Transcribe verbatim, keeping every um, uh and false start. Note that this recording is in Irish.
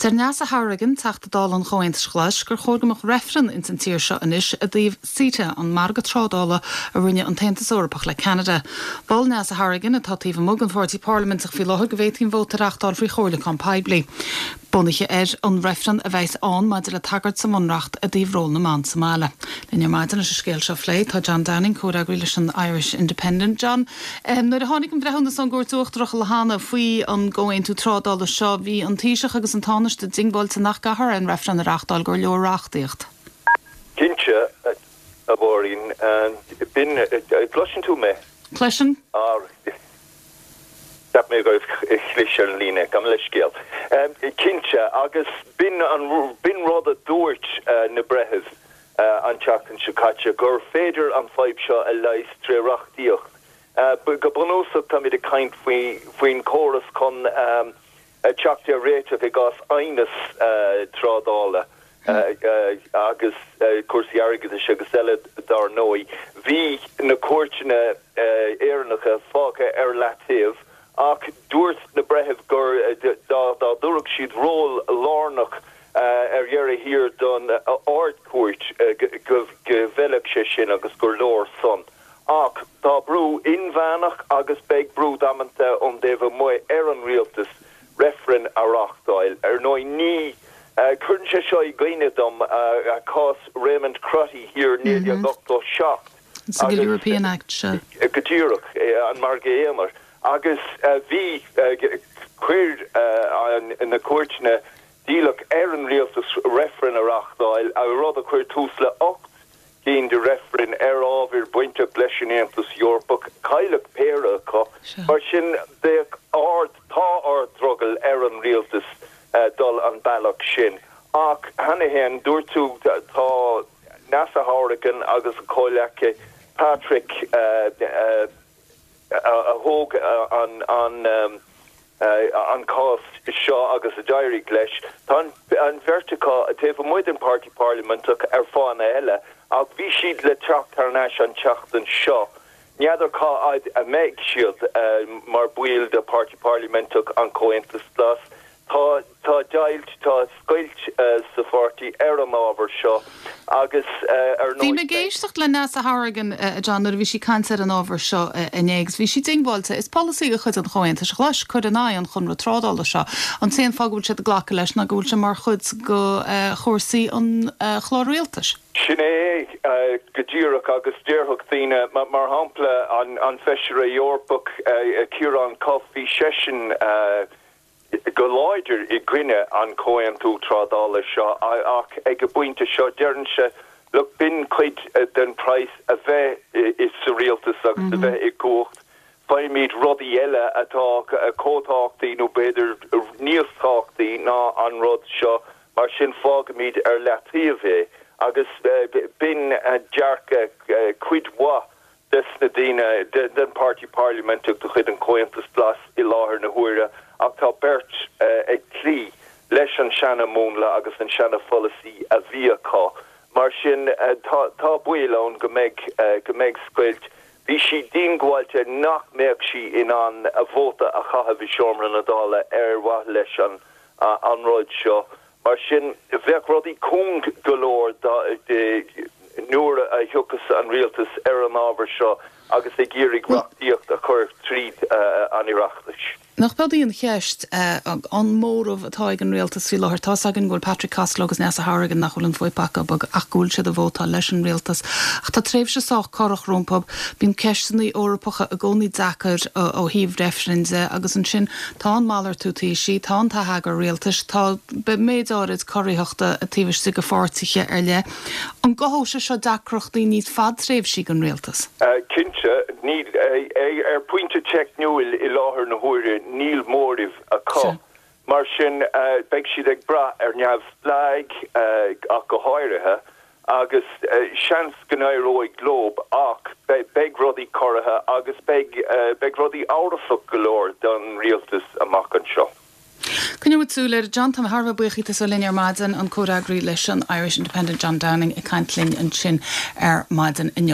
Deir Neasa Hourigan, Teachta Dála an Chomhaontais Ghlais, gur chóir go mbeadh reifreann ins an tír seo anois i dtaobh CETA, an margadh trádála a rinne an tAontas Eorpach le Ceanada. Mhol Neasa Hourigan, atá taobh amuigh den pháirtí parlaiminteach faoi láthair, go bhféadfaí an vóta a reáchtáil faoi chomhairliúchán poiblí. Bunaithe ar an reifreann a bheas ann maidir le tagairt sa bhunreacht i dtaobh ról na mban sa mbaile. Linn ar maidin leis an scéal seo a phlé tá John Downing, comhfhreagraí leis an Irish Independent. John, um, nuair a tháinig an breithiúnas ón gCúirt Uachtarach le hana faoi an gcomhaontú trádála seo bhí an Taoiseach agus an Tánaiste diongbháilte nach gcaithfí an reifreann a reáchtáil gur leor reachtaíocht. Cinnte, a Mháirín, b'in gcloiseann tú mé? Cloisim? Cheap mé go chlis ar an líne gabh mo leithscéal. Cinnte agus b'in an b'in rud a dúirt na breithimh an tseachtain seo caite gur féidir an fadhb seo a leigheas trí reachtaíocht. Go bunúsach táimid ag caint faoi faoin córas chun teacht ar réiteach i gcás aighneas trádála agus cúrsaí airgeadais agus eile dar ndóigh. Bhí na cúirteanna Éireannacha fágtha ar leataobh ach dúirt na breithimh gur dá dtabharfadh siad ról lárnach ar dheireadh thiar don Ard-Chúirt go bhfeilfeadh sé sin agus gur leor san. Ach tá brú inmheánach agus beidh brú damanta ón dtaobh amuigh ar an rialtas reifreann a reáchtáil. Ar ndóigh ní cuireann sé seo i gcuimhne dom cás Raymond Crotty thiar naoi déag ochtó seacht. Single European Act seo. Go díreach an margadh aonair. Agus bhí chuir na cúirteanna d'iallach ar an rialtas reifreann a reáchtáil a rud a chuir tús le ocht gcinn de reifrinn ar ábhar bainteach leis an Aontas Eorpach cailleadh péire acu mar sin bheadh ard tá ard-drogall ar an rialtas dul an bealach sin. Ach cheana féin dúirt tú tá Neasa Hourigan agus a comhghleacaí Patrick a thóg an an an cás seo agus a d'éirigh leis. Tá an bheirt acu taobh amuigh den pháirtí parlaiminteach ar fáthanna eile ach bhí siad le teacht thar n-ais an tseachtain seo. N'fheadar cá fhad a mbeidh siad mar bhaill de pháirtí parlaiminteach an Chomhaontais Ghlais. Tá tá deighilt tá scoilt sa pháirtí ar an ábhar seo agus ar Bhí mé ag éisteacht le Neasa Hourigan John nuair a bhí sí ag caint ar an ábhar seo inné agus bhí sí diongbháilte is polasaí de chuid an Chomhaontais Ghlais cur in aghaidh an chonradh trádála seo. An t-aon fáth go bhfuil siad ag glacadh leis ná go bhfuil sé mar chuid de chúrsaí an chlár rialtais. Sin é go díreach agus déarfadh daoine mar shampla an an feisire Eorpach Ciarán Cuffe bhí seisean go láidir i gcoinne an comhaontú trádála seo ach ag an bpointe seo deireann sé look b'in cuid den praghas a bheith i sa rialtas agus a bheith i gcumhacht faighimid rudaí eile atá chomh tábhachtach nó b'fhéidir níos tábhachtaí ná an rud seo mar sin fágaimid ar leataobh é agus b'in dearcadh cuid mhaith des na daoine den pháirtí parlaiminteach de chuid an Chomhaontais Ghlais i láthair na huaire ach tá beirt ag cloí leis an seana-mhúnla agus an seana-pholasaí a bhí acu. Mar sin tá tá baol ann go mbeidh go mbeidh scoilt. Bhí sí diongbháilte nach mbeadh sí in ann a vóta a chaitheamh i seomra na Dála ar mhaithe leis an an rud seo. Mar sin bheadh rudaí cúng go leor nuair a thiocfas an rialtas ar an ábhar seo agus ag iarraidh reachtaíocht a chur tríd an Oireachtas. Nach beag í an cheist an móramh atá ag an rialtas faoi láthair tá againn go bhfuil Patrick Costello agus Neasa Hourigan nach bhfuil an fuip acu ach go bhfuil siad ag vótáil leis an rialtas. Ach tá tréimhse sách corrach rompu bíonn ceisteanna Eorpacha i gcónaí deacair ó thaobh reifrinn de agus ansin tá an malartú taoisigh, tá an t-atheagar rialtais, tá méid áirid corraitheachta taobh istigh de pháirtithe ar leith. An gcothódh sé seo deacrachtaí níos fadtréimhsí don rialtas? Cinnte níl ar pointe teicniúil i láthair na huaire níl móramh acu. Mar sin beidh siad ag brath ar neamhspleáigh ach go háirithe agus seans go n-éireoidh leo ach beidh rudaí corraithe agus beidh beidh rudaí amhrasach go leor don rialtas amach anseo. Coinneoidh súil air John tá thar buíoch as linn ar maidin an comhfhreagraí leis an Irish Independent John Downing ag caint linn ansin ar maidin inniu.